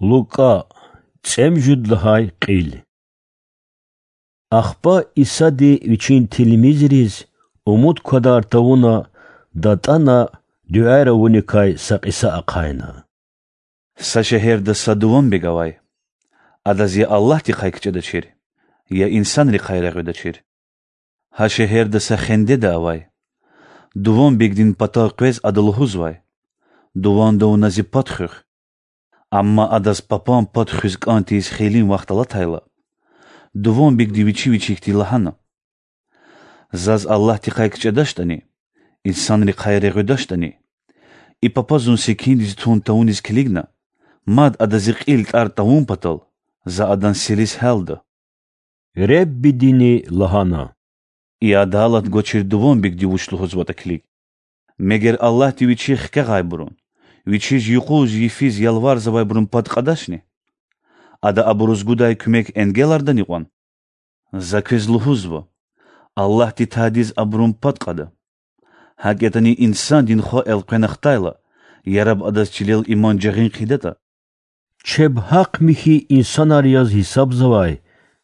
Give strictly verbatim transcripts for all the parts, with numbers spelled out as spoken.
Лукӏа, цӏемуьжуьд лагьай кьил. Ахпа Исади Вичин тилмизриз умуд квадар тавуна датӏана дуьаяр авуникай са кьиса ахъайна: Са шегьерда са дуванбег авай. Адаз я Аллагьдихъай кичӏедачир, я инсанрихъай регъуьдачир. Гьа шегьерда са хендеда авай. Дуванбегдин патав къвез ада лугьузвай: Дуванда вуна зи пад хуьх. Амма адаз папан пад хуьз кӏан тийиз хейлин вахт алатайла, дуванбегди вичи вичихъди лагьана: Заз Аллагьдихъай кичӏедачтӏани, инсанрихъай регъуьдачтӏани, и папа зун секиндиз тун тавуниз килигна, мад ада зи кьил тӏар тавун патал, за адан селис гьялда. Реббидини лагьана: И адалат гвачир дуванбегди вуч лугьузватӏа килиг. Мегер Аллагьди Вичихъ хкягъайбурун, Вичиз юкъуз-йифиз ялварзавайбурун пад кьадачни? Ада абуруз гудай куьмек энгелардани кьван? За квез лугьузва: Аллагьди тадиз абурун пад кьада. Гьакӏ ятӏани Инсандин Хва элкъвена хтайла, яраб адаз чилел иман жагъин хъийидатӏа. Чеб гьахъ-михьи инсанар яз гьисабзавай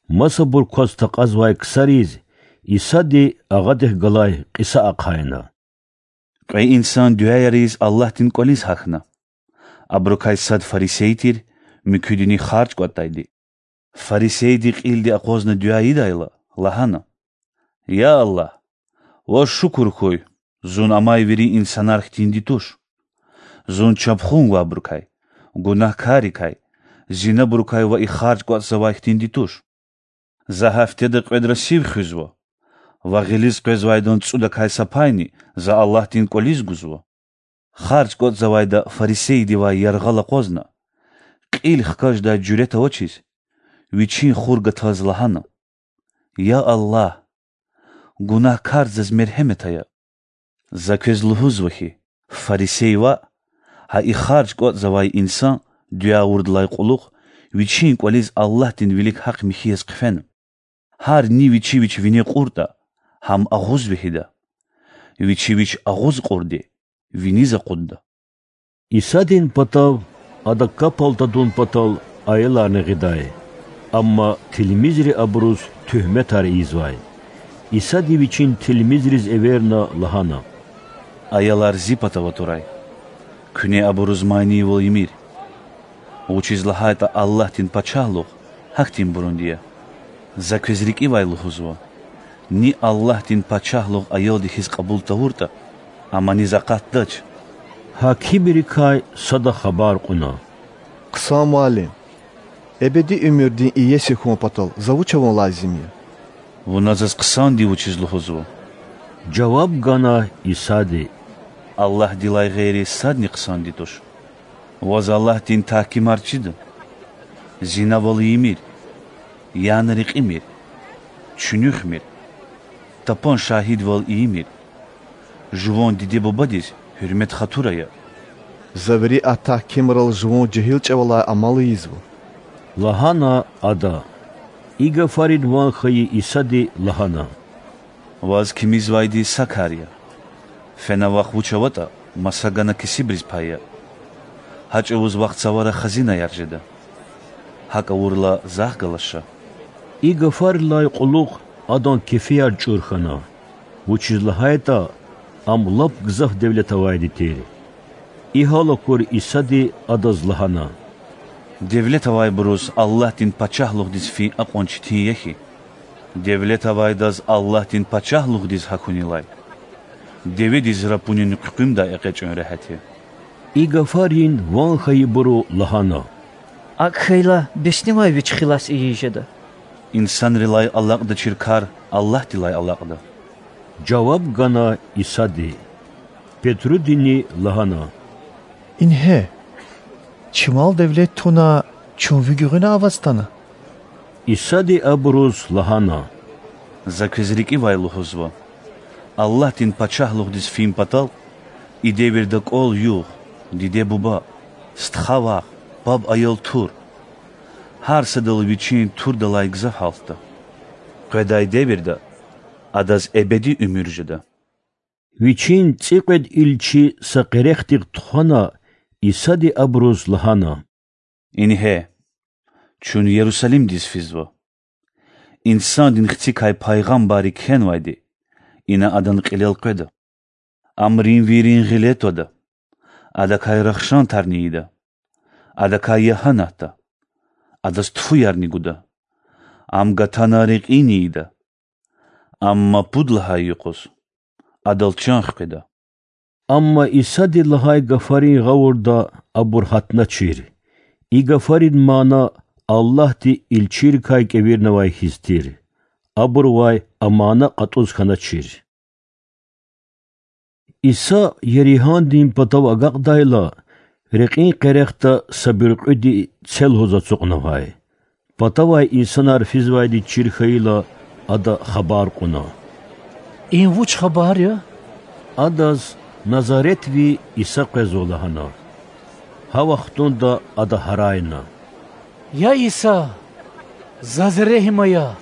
масабур кваз такьазвай ксариз Исади агъадихъ галай кьиса ахъайна: Кьве инсан дуьаяр ийиз Аллагьдин кӏвализ гьахьна. Абурукай сад фарисей тир, муькуьдини харж кӏватӏдайди. Фарисейди кьилди акъвазна дуьа ийидайла, лагьана: Я Аллагь, Ваз шукур хьуй, зун амай вири инсанар хьтинди туш. Зун чапхун гвайбурукай, гунагькаррикай, зинабурукай ва и харж кӏватӏзавай хьтинди туш. За гьафтеда кьвед расив хуьзва ва гъилиз къвезвайдан цӏудакай са пайни за Аллагьдин кӏвализ гузва. Харж кӏватӏзавайда фарисейдивай яргъал акъвазна, кьил хкаждай жуьрет авачиз, вичин хур гатаз лагьана: Я Аллагь, гунагькар, заз мергьемет ая. За квез лугьузва хьи, фарисей ваъ, гьа и харж кӏватӏзавай инсан дуьа авурдалай кьулухъ вичин кӏвализ Аллагьдин вилик гьахъ-михьи яз хъфена. Гьар ни вичи вич вине кьуртӏа, гьам агъуз вегьида. Вичи вич агъуз кьурди виниз акъудда. Исадин патав Ада капал тадун патал аяларни гъидай, амма тилмизри абуруз туьгьметар ийизвай. Исади Вичин тилмизриз эверна лагьана: Аялар Зи патав атурай. Куьне абуруз манийвал ийимир. Вучиз лагьайтӏа Аллагьдин Пачагьлугъ гьахьтинбурунди я. За квез рикӏивай лугьузва: ни Аллагьдин Пачагьлугъ аялди хьиз кьабул тавуртӏа, ам аниз акъатдач. Гьакимрикай сада хабар кьуна: Хъсан Муаллим! Эбеди уьмуьрдин иеси хьун патал за вуч авун лазим я? Вуна заз хъсанди вучиз лугьузва? жаваб гана Исади. Аллагьдилай гъейри садни хъсанди туш. Ваз Аллагьдин тагькимар чида: зинавал ийимир, яна рекьимир, чуьнуьхмир, тапан шагьидвал ийимир, жуван диде-бубадиз гьуьрмет-хатур ая. За вири а тагькимрал жуван жегьил чӏавалай амал ийизва,– лагьана ада. И гафарин ван хьайи Исади лагьана: Ваз кимизвайди са кар я. Фена вахт вуч аватӏа, маса гана кесибриз пая. Гьа чӏавуз вахъ цавара хазинаяр жеда. Гьакӏ авурла, захъ галаз ша. И гафарилай кьулухъ адан кефияр чӏур хьана, вучиз лагьайтӏа ам лап гзаф девлет авайди тир. И гьал акур Исади адаз лагьана: Девлет авайбуруз Аллагьдин Пачагьлугъдиз фин акьван четин я хьи, девлет авайдаз Аллагьдин Пачагьлугъдиз гьахьунилай деведиз рапунин хъуькъуьмдай экъечӏун регьят я. И гафарин ван хьайибуру лагьана: Акӏ хьайила, беснивай вич хилас ийиз жеда? Инсанрилай алакьдачир кар Аллагьдилай алакьда,– жаваб гана Исади. Петрудини лагьана: Ингье, чимал девлет туна, чун ви гуьгъуьна аваз атана. Исади абуруз лагьана: За квез рикӏивай лугьузва: Аллагьдин Пачагьлугъдиз фин патал и девирда кӏвал-югъ, диде-буба, стха-вах, паб-аял тур, гьар садал вичин турдалай гзаф гьалтда. Къведай девирда адаз эбеди уьмуьр жеда. Вичин цӏикьвед илчи са къерехдихъ тухвана, Исади абуруз лагьана: Ингье, чун Ярусалимдиз физва. Инсандин Хцикай пайгъамбарри кхьенвайди ина адан кьилел къведа. Ам римвийрин гъиле твада, адакай рахшан тарни ийида, адакай ягьанатда, адаз тфуярни гуда, ам гатана рекьини ийида, амма пуд лагьай юкъуз адал чан хкида. Амма Исади лагьай гафарин гъавурда абур гьатначир. И гафарин мана Аллагьди илчийрикай кӀевирнавай хьиз тир. Абурувай а мана кьатӀуз хьаначир. Иса Еригьандин патав агакьдайла, рекьин къерехда са буьркьуьди це лугьуз ацукьнавай. Патавай инсанар физвайди чир хьайила, ада хабар кьуна: И вуч хабар я? Адаз Назаретви Иса къвезва лагьана. Гьа вахтунда ада гьарайна: Я Иса, заз регьим ая!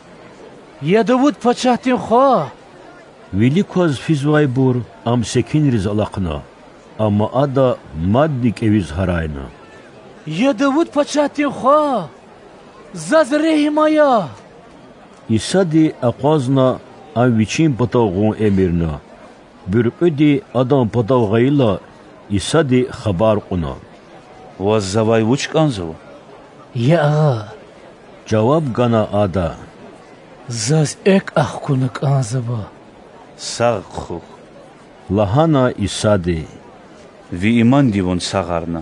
Я Давуд пачагьдин хва! Вилик кваз физвайбур ам секинриз алахъна, амма ада мадни кӀевиз гьарайна: Я Давуд пачагьдин хва, заз регьим ая! Исади акъвазна ам вичин патав гъун эмирна. Буьркьуьди адан патав гъайила, Исади хабар кьуна: Ваз завай вуч кӀанзава? Я Агъа,— жаваб гана ада,— заз экв ахкуна кӀанзава. Сагъ хъхьухь,— лагьана Исади. Ви иманди вун сагъарна.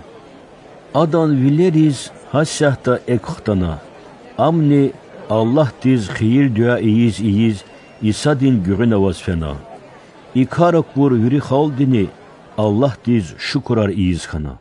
Адан вилериз гьасятда экв хтана. Амни Аллагьдиз хийир-дуьа ийиз-ийиз Исадин гуьгъуьна аваз фена. И кар акур вири халкьдини Аллагьдиз шукурар ийиз хьана.